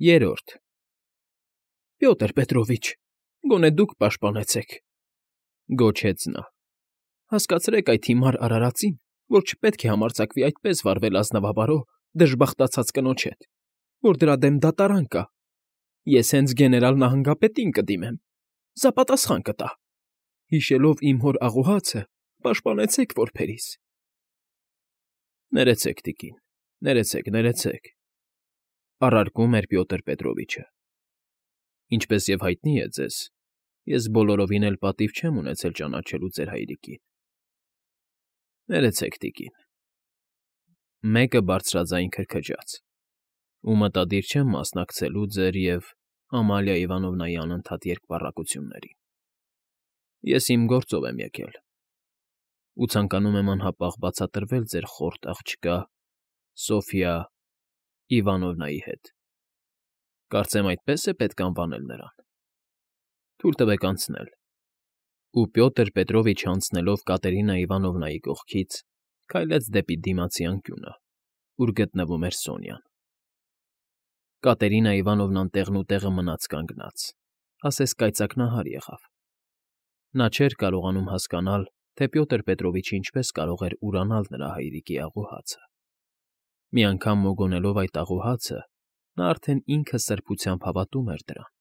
Երրորդ Պյոտր Պետրովիչ, գոնե դուք պաշտպանեցեք,֊ գոչեց նա։֊ Հասկացրեք այդ հիմար արարածին, որ չպետք է համարձակվի այդպես վարվել ազնվաբարո, դժբախտացած կնոջ հետ, որ դրա դեմ դատարան կա. ես հենց գեներալ նահանգապետին կդիմեմ, սա պատասխան կտա. հիշելով իմ հոր աղոհացը, պաշտպանեցեք որբերիս։ Ներեցեք, տիկին, ներեցեք,֊ առարկում էր Պյոտր Պետրովիչը։ Ինչպես և հայտնի է ձեզ, ես բոլորովին էլ պատիվ չեմ ունեցել ճանաչելու ձեր հայրիկին։ Ներեցեք, տիկին։ Մեկը բարձրաձայն քրքջաց, ու մտադիր չեմ մասնակցելու ձեր և Ամալիա Իվանովնայի անընդհատ երկպառակություններին։ Ես իմ գործով եմ եկել ու ցանկանում եմ անհապաղ բացատրվել ձեր խորթ աղջկա Սոֆյա Իվանովնայի հետ։ Կարծեմ այդպես է պետք անվանել նրան։ Թույլ տվեք անցնել։ Ու Պյոտր Պետրովիչը անցնելով Կատերինա Իվանովնայի կողքից քայլեց դեպի դիմացի անկյունը, ուր գտնվում էր Սոնյան։ Կատերինա Իվանովնան տեղնուտեղը մնաց կանգնած, ասես կայծակնահար եղավ։ Նա չէր կարողանում հասկանալ, թե Պյոտր Պետրովիչը ինչպես կարող էր ուրանալ նրա հայրիկի աղոհացը։ Մի անգամ մոգոնելով այդ աղոհացը, նա արդեն ինքը սրբությամբ հավատում էր դրան։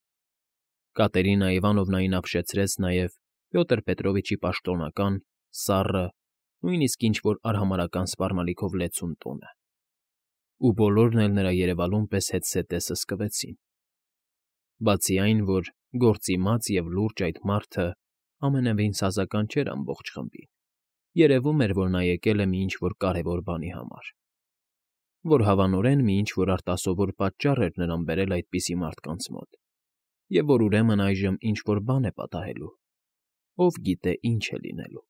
Կատերինա Իվանովնային ապշեցրեց նաև Պյոտր Պետրովիչի պաշտոնական, սառը, նույնիսկ ինչ֊որ արհամարհական սպառնալիքով լեցուն տոնը։ Ու բոլորն էլ նրա երևալուն պես հետզհետե սսկվեցին։ Բացի այն, որ գործի մած և լուրջ այդ մարդը ամենևին սազական չէր ամբողջ խմբին, երևում էր, որ նա եկել է մի ինչ֊որ կարևոր բանի համար, որ հավանորեն մի ինչ֊որ արտասովոր պատճառ էր նրան բերել այդպիսի մարդկանց մոտ, և որ ուրեմն այժմ ինչ֊որ բան է պատահելու, ով գիտե ինչ է լինելու։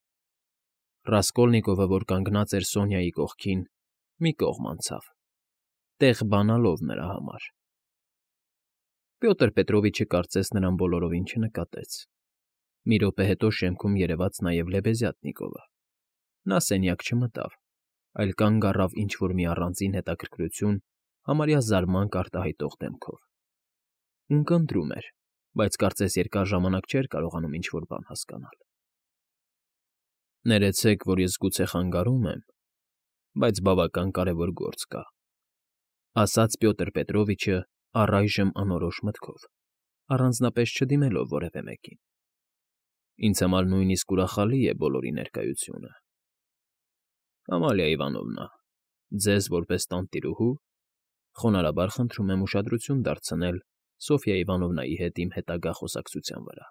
Ռասկոլնիկովը, որ կանգնած էր Սոնյայի կողքին, մի կողմ անցավ, տեղ բանալով նրա համար։ Պյոտր Պետրովիչը կարծես նրան բոլորովին չնկատեց։ Մի րոպե հետո շեմքում երևաց նաև Լեբեզյատնիկովը։ Նա սենյակ չմտավ, այլ կանգ առավ ինչ֊որ մի առանձին հետաքրքրություն համարյա զարմանք արտահայտող դեմքով։ Ունկնդրում էր, բայց կարծես երկար ժամանակ չէր կարողանում ինչ֊որ բան հասկանալ։ Ներեցեք, որ ես գուցե խանգարում եմ, բայց բավական կարևոր գործ կա,֊ ասաց Պյոտր Պետրովիչը առայժմ անորոշ մտքով, առանձնապես չդիմելով որևէ մեկին։ Ինձ համար նույնիսկ ուրախալի է բոլորի ներկայությունը։ Ամալիա Իվանովնա, ձեզ որպես տանտիրուհու խոնարհաբար խնդրում եմ ուշադրություն դարձնել Սոֆյա Իվանովնայի հետ իմ հետագա խոսակցության վրա։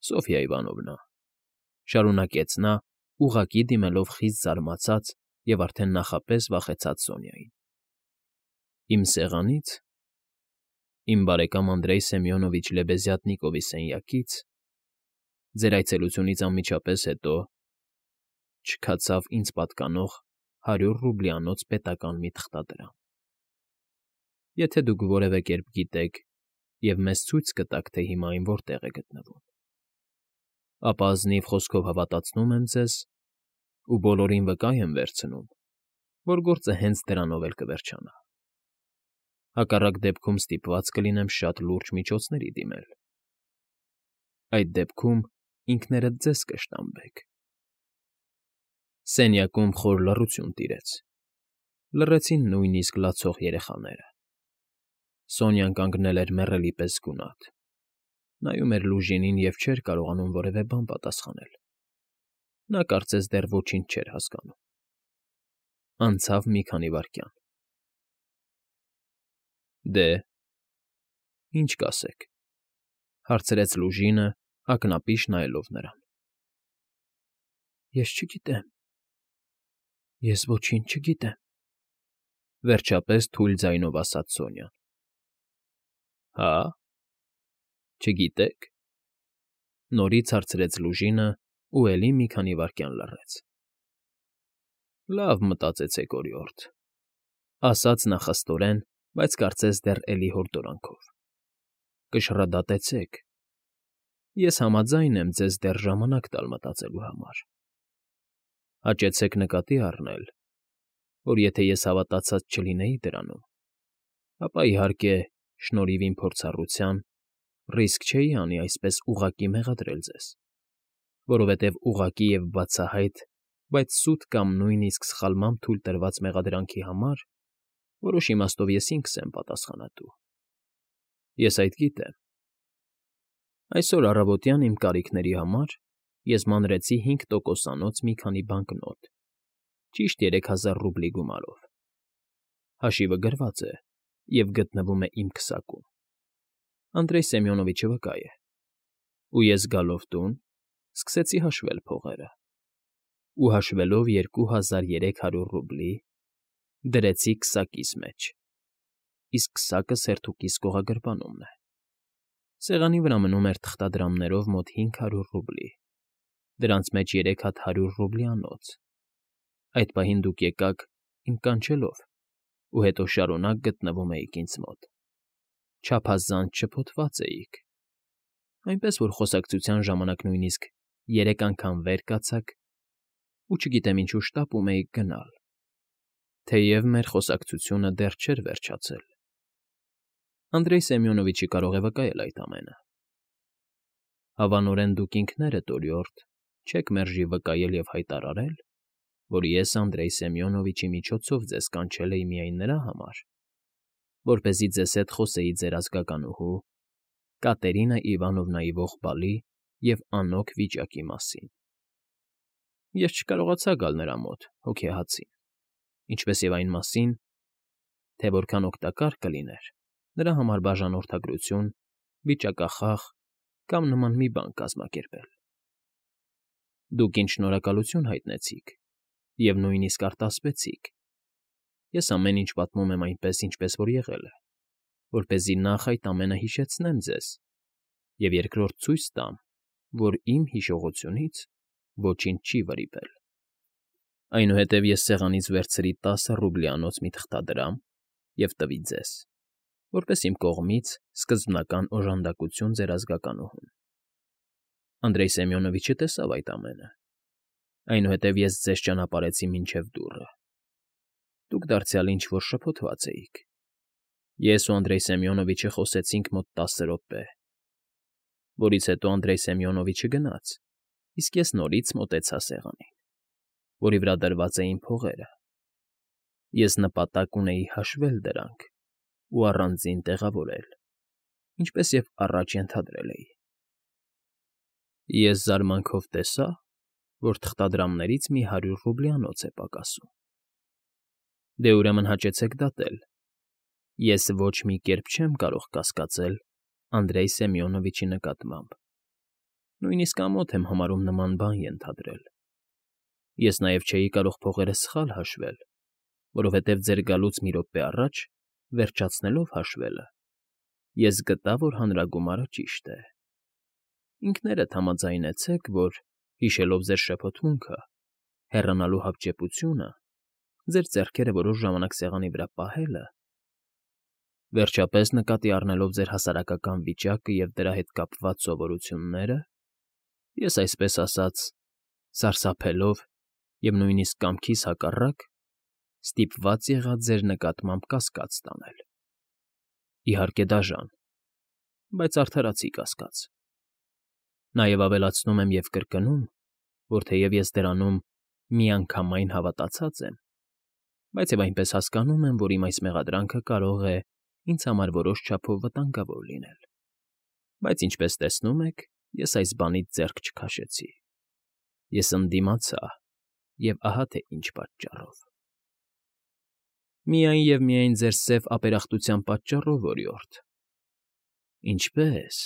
Սոֆյա Իվանովնա,֊ շարունակեց նա, ուղղակի դիմելով խիստ զարմացած և արդեն նախապես վախեցած Սոնյային,֊ իմ սեղանից, իմ բարեկամ Անդրեյ Սեմյոնովիչ Լեբեզյատնիկովի սենյակից ձեր այցելությունից անմիջապես հետո չքացավ ինձ պատկանող 100 ռուբլյանոց պետական մի թղթադրամ։ Եթե դուք որևէ կերպ գիտեք և մեզ ցույց կտաք, թե հիմա այն որտեղ է գտնվում, ապա ազնիվ խոսքով հավատացնում եմ ձեզ ու բոլորին վկա եմ վերցնում, որ գործը հենց դրանով էլ կվերջանա։ Հակառակ դեպքում ստիպված կլինեմ շատ լուրջ միջոցների դիմել։ Այդ դեպքում ինքներդ ձեզ կշտամբեք։ Սենյակում խոր լռություն տիրեց։ Լռեցին նույնիսկ լացող երեխաները։ Սոնյան կանգնել էր մեռելի պես գունատ, նայում էր լուժինին և չէր կարողանում որևէ բան պատասխանել։ Նա կարծես դեռ ոչինչ չէր հասկանում։ Անցավ մի քանի վայրկյան։ Դե, ի՞նչ կասեք,֊ հարցրեց Լուժինը, ակնապիշ նայելով նրան։ Ես չգիտեմ, ես ոչինչ չգիտեմ,֊ վերջապես թույլ ձայնով ասաց Սոնյան։ Հա՞, չգիտեք,֊ նորից հարցրեց Լուժինը ու էլի մի քանի վայրկյան լռեց։ Լավ մտածեցեք, օրիորդ,֊ ասաց նա խստորեն, բայց կարծես դեռ էլի հորդորանքով,֊ կշռադատեցեք։ Ես համաձայն եմ ձեզ դեռ ժամանակ տալ մտածելու համար։ Հաճեցեք նկատի առնել, որ եթե ես հավատացած չլինեի դրանում, Ապա, իհարկե, շնորհիվ իմ փորձառության, ռիսկ չէի անի այսպես ուղղակի մեղադրել ձեզ, որովհետև ուղղակի և բացահայտ, բայց սուտ կամ նույնիսկ սխալմամբ թույլ տրված մեղադրանքի համար որոշ իմաստով ես ինքս եմ պատասխանատու։ Ես այդ գիտեմ։ Այսօր առավոտյան իմ կարիքների համար ես մանրեցի 5%-անոց մի քանի բանկնոտ, ճիշտ 3000 ռուբլի գումարով։ Հաշիվը գրված է և գտնվում է իմ քսակում։ Անդրեյ Սեմյոնովիչը վկա է։ Ու ես գալով տուն, սկսեցի հաշվել փողերը, ու հաշվելով 2300 ռուբլի, դրեցի քսակիս մեջ, իսկ քսակը սերթուկիս կողագրպանումն է։ Սեղանի վրա մնում էր թղթադրամներով մոտ 500 ռուբլի, դրանց մեջ 3 հատ 100 ռուբլյանոց։ Այդ պահին դուք եկաք իմ կանչելով ու հետո շարունակ գտնվում էիք ինձ մոտ, չափազանց շփոթված էիք, այնպես որ խոսակցության ժամանակ նույնիսկ 3 անգամ վեր կացաք ու չգիտեմ ինչու շտապում էիք գնալ, թեև մեր խոսակցությունը դեռ չէր վերջացել։ Անդրեյ Սեմյոնովիչը կարող է վկայել այդ ամենը։ Հավանորեն դուք ինքներդ, օրիորդ, չեք մերժի վկայել և հայտարարել, որ ես Անդրեյ Սեմյոնովիչի միջոցով ձեզ կանչել էի միայն նրա համար, որպեսզի ձեզ հետ խոսեի ձեր ազգականուհու Կատերինա Իվանովնայի ողբալի և անօգ վիճակի մասին։ Ես չկարողացա գալ նրա մոտ հոգեհացին, ինչպես և այն մասին, թե որքան օգտակար կլիներ նրա համար բաժանորդագրություն, վիճակախախ կամ նման մի բան կազմակերպել։ Դուք ինձ շնորհակալություն հայտնեցիք և նույնիսկ արտասվեցիք։ Ես ամեն ինչ պատմում եմ այնպես, ինչպես որ եղել է, որպեսզի նախ այդ ամենը հիշեցնեմ ձեզ և երկրորդ ցույց տամ, որ իմ հիշողությունից ոչինչ չի վրիպել։ Այնուհետև ես սեղանից վերցրի 10 ռուբլյանոց մի թղթադրամ և տվի ձեզ, որպես իմ կողմից սկզբնական օժանդակություն ձեր ազգականուհուն։ Անդրեյ Սեմյոնովիչը տեսավ այդ ամենը։ Այնուհետև ես ձեզ ճանապարհեցի մինչև դուռը։ Դուք դարձյալ ինչ֊որ շփոթված էիք։ Ես ու Անդրեյ Սեմյոնովիչը խոսեցինք մոտ 10 րոպե, որից հետո Անդրեյ Սեմյոնովիչը գնաց, իսկ ես նորից մոտեցա սեղանին, որի վրա դրված էին փողերը։ Ես նպատակ ունեի հաշվել դրանք ու առանձին տեղավորել, ինչպես և առաջ ենթադրել էի։ Ես զարմանքով տեսա, որ թղթադրամներից մի 100 ռուբլյանոց է պակասում։ Դե ուրեմն հաճեցեք դատել։ Ես ոչ մի կերպ չեմ կարող կասկածել Անդրեյ Սեմյոնովիչի նկատմամբ, նույնիսկ ամոթ եմ համարում նման բան ենթադրել։ Ես նաև չէի կարող փողերը սխալ հաշվել, որովհետև ձեր գալուց մի րոպե առաջ, վերջացնելով հաշվելը, ես գտա, որ հանրագումարը ճիշտ է։ Ինքներդ համաձայնեցեք, որ, հիշելով ձեր շփոթմունքը, հեռանալու հապճեպությունը, ձեր ձեռքերը որոշ ժամանակ սեղանի վրա պահելը, վերջապես նկատի առնելով ձեր հասարակական վիճակը և դրա հետ կապված սովորությունները, ես, այսպես ասած, սարսափելով և նույնիսկ կամքիս հակառակ, ստիպված եղա ձեր նկատմամբ կասկած տանել։ Իհարկե դաժան, բայց արդարացի կասկած։ Նաև ավելացնում եմ և կրկնում, որ թեև ես դրանում միանգամայն հավատացած եմ, բայց և այնպես հասկանում եմ, որ իմ այս մեղադրանքը կարող է ինձ համար որոշ չափով վտանգավոր լինել։ Բայց ինչպես տեսնում եք, ես այս բանից ձեռք չքաշեցի։ Ես ընդդիմացա, և ահա թե ինչ պատճառով։ Միայն և միայն ձեր սև ապերախտության պատճառով, օրիորդ։ Ինչպե՞ս։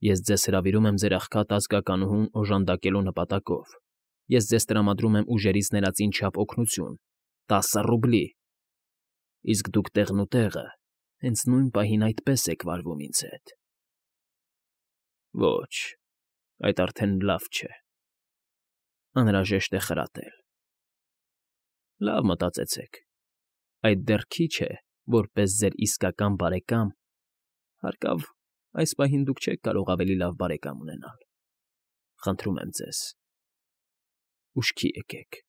Ես ձեզ հրավիրում եմ ձեր աղքատ ազգականուհուն օժանդակելու նպատակով։ Ես ձեզ տրամադրում եմ ուժերից ներածին չափ օգնություն՝ 10 ռուբլի, իսկ դուք տեղնուտեղը հենց նույն պահին այդպես եք վարվում ինձ հետ։ Ոչ, այդ արդեն լավ չէ։ Անհրաժեշտ է խրատել։ Լավ մտածեցեք, այդ դեռ քիչ է, որպես ձեր իսկական բարեկամ, հարկավ, այս պահին դուք չեք կարող ավելի լավ բարեկամ ունենալ։ Խնդրում եմ ձեզ, ուշքի եկեք,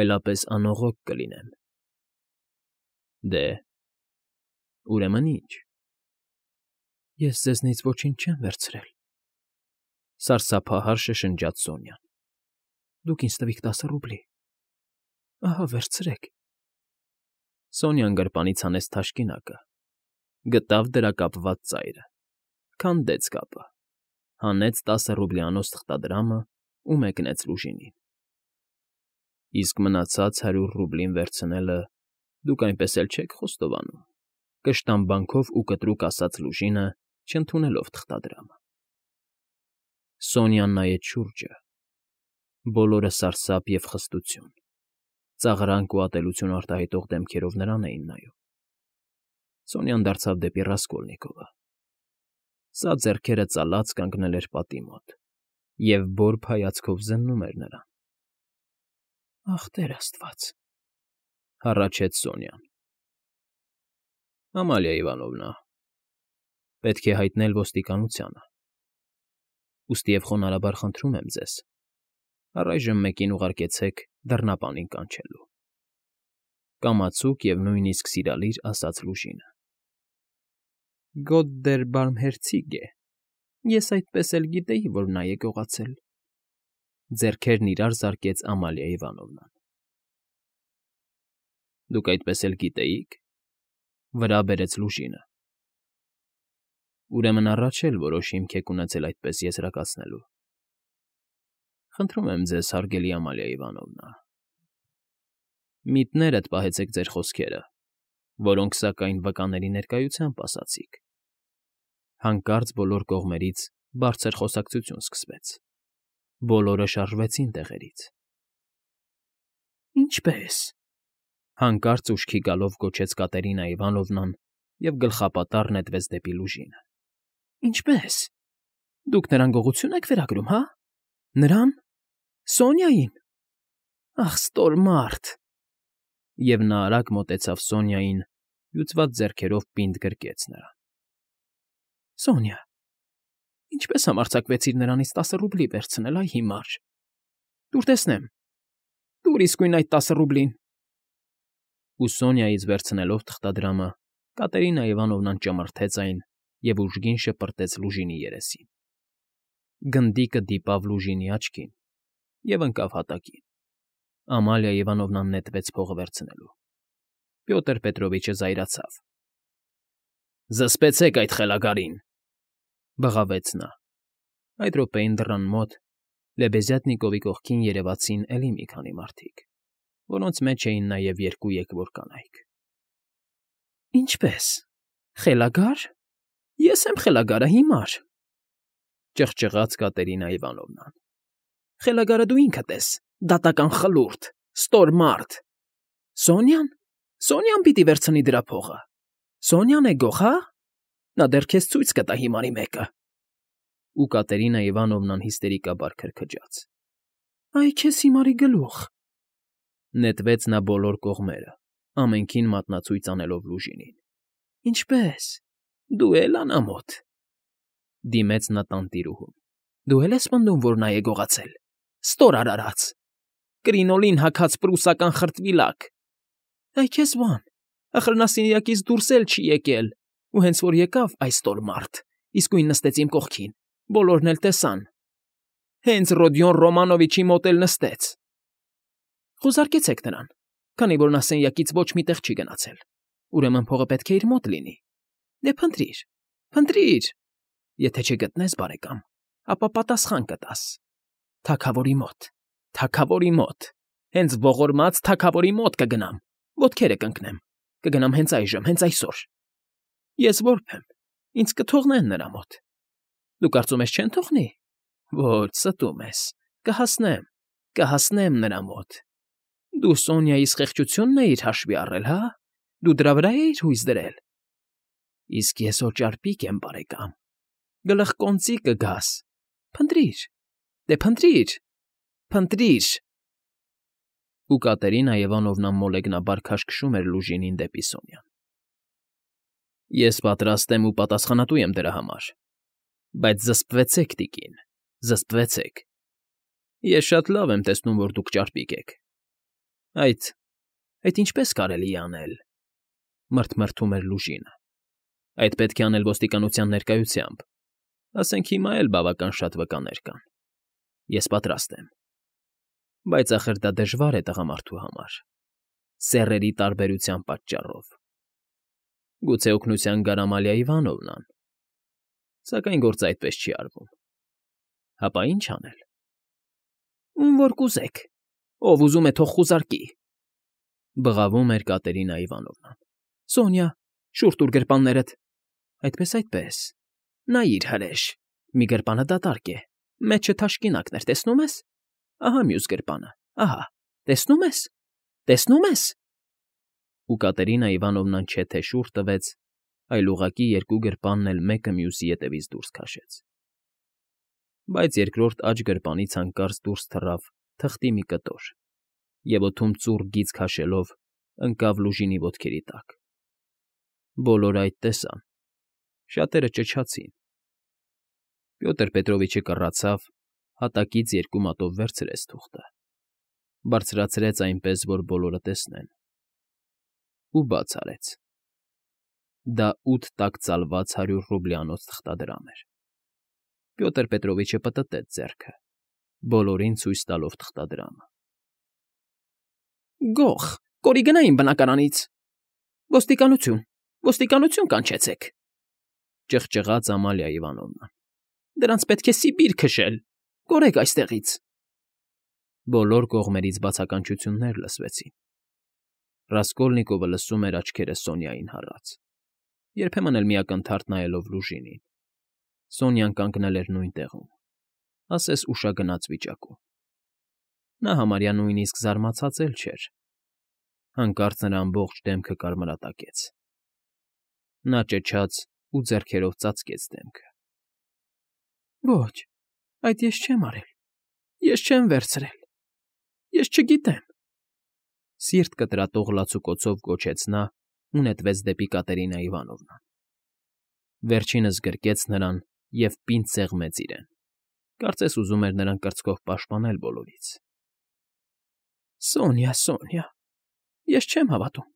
այլապես անողոք կլինեմ։ Դե, Ուրեմն ի՞նչ։ Ես ձեզնից ոչինչ չեմ վերցրել,֊ սարսափահար շշնջաց Սոնյան։ Դուք ինձ տվիք 10 ռուբլի։ Ահա, վերցրեք։ Սոնյան գրպանից հանեց թաշկինակը, գտավ դրա կապված ծայրը, քանդեց կապը, հանեց 10 ռուբլյանոց թղթադրամը ու մեկնեց Լուժինին։ Իսկ մնացած 100 ռուբլին վերցնելը դուք այնպես էլ չեք խոստովանում,֊ կշտամբանքով ու կտրուկ ասաց Լուժինը, չընդունելով թղթադրամը։ Սոնյան նայեց շուրջը։ Բոլորը սարսափ և խստություն, ծաղրանք ու ատելություն արտահայտող դեմքերով նրան էին նայում։ Սոնյան դարձավ դեպի Ռասկոլնիկովը։ Սա ձեռքերը ծալած կանգնել էր պատի մոտ և բորբ հայացքով զննում էր նրան։ Ախ, Տեր Աստված,֊ հառաչեց Սոնյան։ Ամալիա Իվանովնա, պետք է հայտնել ոստիկանությանը։ Ուստիև խոնարհաբար խնդրում եմ ձեզ, առայժմ մեկին ուղարկեցեք դռնապանին կանչելու,֊ կամացուկ և նույնիսկ սիրալիր ասաց Լուժինը։ Գոտ դեր բարմհերցիգ է, ես այդպես էլ գիտեի, որ նա է գողացել,֊ ձեռքերն իրար զարկեց Ամալիա Իվանովնան։ Դուք այդպես էլ գիտեիք,֊ վրա բերեց Լուժինը։ Ուրեմն առաջ էլ որոշ հիմք եք ունեցել այդպես եզրակացնելու։ Խնդրում եմ ձեզ, հարգելի Ամալիա Իվանովնա, միտներդ պահեցեք ձեր խոսքերը, որոնք, սակայն, վկաների ներկայությամբ ասացիք։ Հանկարծ բոլոր կողմերից բարձր խոսակցություն սկսվեց։ Բոլորը շարժվեցին տեղերից։ Ինչպե՞ս,֊ հանկարծ ուշքի գալով գոչեց Կատերինա Իվանովնան և գլխապատառ նետվեց դեպի Լուժինը։ Ինչպե՞ս։ Դուք նրան գողություն եք վերագրում, հա՞։ Նրան… Սոնյային… Ախ, ստոր մարդ… Եվ նա արագ մոտեցավ Սոնյային, հյուծված ձեռքերով պինդ գրկեց նրան։ Սոնյա, ինչպե՞ս համարձակվեցիր նրանից 10 ռուբլի վերցնել, այ հիմար… Տուր տեսնեմ… Տուր իսկույն այդ 10 ռուբլին… Ու Սոնյայից վերցնելով թղթադրամը, Կատերինա Իվանովնան ճմրթեց այն և ուժգին շպրտեց Լուժինի երեսին։ Գնդիկը դիպավ Լուժինի աչքին և ընկավ հատակին։ Ամալիա Իվանովնան նետվեց փողը վերցնելու։ Պյոտր Պետրովիչը զայրացավ։ Զսպեցեք այդ խելագարին,֊ բղավեց նա։ Այդ րոպեին դռան մոտ Լեբեզյատնիկովի կողքին երևացին էլի մի քանի մարդիկ, որոնց մեջ էին նաև 2 եկվոր կանայք։ Ինչպե՞ս… Խելագա՞ր… Ես եմ խելագարը, հիմար…֊ ճղճղաց Կատերինա Իվանովնան։ Խելագարը դու ինքդ ես, դատական խլուրդ, ստոր մարդ… Սոնյա՞ն… Սոնյա՞ն պիտի վերցնի դրա փողը… Սոնյան է գող, հա՞… Նա դեռ քեզ ցույց կտա հիմարի մեկը… Ու Կատերինա Իվանովնան հիստերիկաբար քրքջաց։ Այ քեզ հիմարի գլուխ… Նետվեց նա բոլոր կողմերը, ամենքին մատնացույց անելով Լուժինին։ Ինչպե՞ս… Դու էլ անամոթ… Դիմեց նա տանտիրուհուն։ Դու էլ ես պնդում, որ նա է գողացել… Ստոր արարած… Կրինոլին հագած պրուսական խրտվիլակ… Այ քեզ բան… Ախր նա սենյակից դուրս էլ չի եկել, ու հենց որ եկավ, այ ստոր մարդ, իսկույն նստեց իմ կողքին, բոլորն էլ տեսան… Հենց Ռոդիոն Ռոմանովիչի մոտ էլ նստեց… Խուզարկեցեք նրան, քանի որ նա սենյակից ոչ մի տեղ չի գնացել, ուրեմն փողը պետք է իր մոտ լինի… Դե փնտրիր, փնտրիր… Եթե չգտնես, բարեկամ, ապա պատասխան կտաս… Թագավորի մոտ, թագավորի մոտ… Հենց ողորմած թագավորի մոտ կգնամ, ոտքերը կընկնեմ, կգնամ հենց այժմ, հենց այսօր… Ես որբ եմ, ինձ կթողնեն նրա մոտ… Դու կարծում ես չեն թողնի… Ոչ, ստում ես… Կհասնեմ, կհասնեմ նրա մոտ… Դու Սոնյայիս խեղճությունն էիր հաշվի առել, հա՞… Դու դրա վրա էիր հույս դրել… Իսկ ես օճառպիկ եմ, բարեկամ… Գլխկոնծի կգաս… Փնտրիր… Դե փնտրիր… Փնտրիր… Ու Կատերինա Իվանովնան մոլեգնաբար քաշքշում էր Լուժինին դեպի Սոնյան։ Ես պատրաստ եմ ու պատասխանատու եմ դրա համար… Բայց զսպվեցեք, տիկին, զսպվեցեք… Ես շատ լավ եմ տեսնում, որ դուք ճարպիկ եք… Այդ ինչպես կարելի է անել,֊ մռթմռթում էր Լուժինը։ Այդ պետք է անել ոստիկանության ներկայությամբ։ Ասենք հիմա էլ բավական շատ վկաներ կան։ Ես պատրաստ եմ։ Բայց ախր դա դժվար է տղամարդու համար։ Սեռերի տարբերության պատճառով։ Գուցե օգնության գար Ամալիա Իվանովնան։ Սակայն գործը այդպես չի արվում։ Հապա ի՞նչ անել։ Ում որ կուզեք, ով ուզում է թող խուզարկի, բղավում էր Կատերինա Իվանովնան։ Սոնյա, շուռ տուր գրպաններդ։ Այդպես։ Նայիր հրեշ, մի գրպանը դատարկ է, մեջը թաշկինակներ, տեսնում ես։ Ահա մյուս գրպանը, ահա, տեսնում ես։ Ու Կատերինա Իվանովնան չէ թե շուռ տվեց, այլ ուղղակի երկու գրպանն էլ մեկը մյուսի ետևից դուրս քաշեց։ Բայց երկրորդ աջ գրպանից հանկարծ դուրս թռավ թղթի մի կտոր, և օդում ծուռ գիծ քաշելով ընկավ Լուժինի ոտքերի տակ։ Բոլորը այդ տեսան, շատերը ճչացին։ Պյոտր Պետրովիչը կռացավ, հատակից երկու մատով վերցրեց թուղթը, բարձրացրեց այնպես, որ բոլորը տեսնեն, ու բաց արեց։ Դա 8 տաք ծալված 100 ռուբլյանոց թղթադրամ էր։ Պյոտր Պետրովիչը պտտեց ձեռքը, բոլորին ցույց տալով թղթադրամը։ Գող, կորի գնա իմ բնակարանից։ Ոստիկանություն կանչեցեք, ճղճղաց Ամալիա Իվանովնան։ Դրանց պետք է Սիբիր քշել, կորեք այստեղից։ Բոլոր կողմերից բացականչություններ լսվեցին։ Ռասկոլնիկովը լսում էր աչքերը Սոնյային հառած, երբեմն էլ միակնթարթ նայելով Լուժինին։ Սոնյան կանգնել էր նույն տեղում, ասես ուշագնաց վիճակում։ Նա համարյա նույնիսկ զարմացած էլ չէր։ Հանկարծ նրա ամբողջ դեմքը կարմրատակեց։ Նա ճչաց ու ձեռքերով ծածկեց դեմքը։ Ոչ, այդ ես չեմ արել, ես չեմ վերցրել, ես չգիտեմ։ Սիրտ կտրատող լացուկոցով գոչեց նա ու նետվեց դեպի Կատերինա Իվանովնան։ Վերջինս գրկեց նրան և պինդ սեղմեց իրեն, կարծես ուզում էր նրան կրծքով պաշտպանել բոլորից։ Սոնյա, ես չեմ հավատում,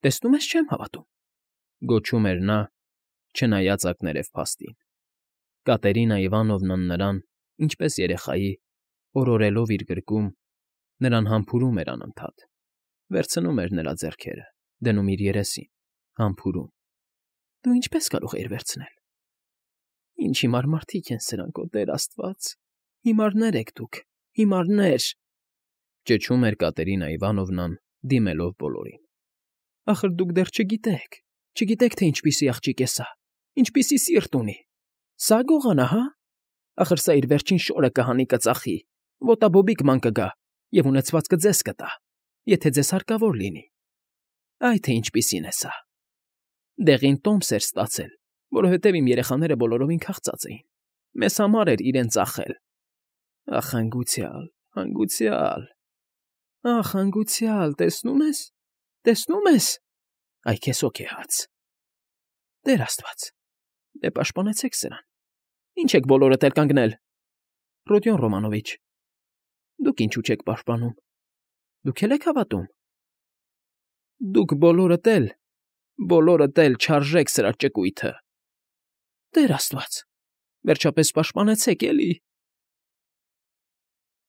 տեսնում ես, չեմ հավատում, գոչում էր նա, չնայած ակներև փաստին։ Կատերինա Իվանովնան նրան, ինչպես երեխայի, օրորելով իր գրկում, նրան համբուրում էր անընդհատ, վերցնում էր նրա ձեռքերը, դնում իր երեսին, համբուրում։ Դու ինչպես կարող էիր վերցնել։ Ինչ հիմար մարդիկ են սրանք, օ Տեր Աստված, հիմարներ եք դուք, հիմարներ, ճչում էր Կատերինա Իվանովնան, դիմելով բոլորին։ Ախր դուք դեռ չգիտեք, թե ինչպիսի աղջիկ է սա, ինչպիսի սիրտ ունի։ Սա գողանա, հա։ Ախր սա իր վերջին շորը կհանի կծախի, ոտաբոբիկ ման կգա և ունեցվածքը ձեզ կտա, եթե ձեզ հարկավոր լինի։ Այ թե ինչպիսին է սա։ Դեղին տոմս էր ստացել, որովհետև իմ երեխաները բոլորովին քաղցած էին։ Մեզ համար էր իրեն ծախել։ Ախ, հանգուցյալ, տեսնում ես։ Այ քեզ հոգեհաց։ Տեր Աստված, դե պաշտպանեցեք սրան։ Ինչ եք բոլորդ էլ կանգնել։ Ռոդիոն Ռոմանովիչ, դուք ինչու չեք պաշտպանում։ Դուք էլ եք հավատում։ Դուք բոլորդ էլ չարժեք սրա ճկույթը։ Տեր Աստված, վերջապես պաշտպանեցեք էլի։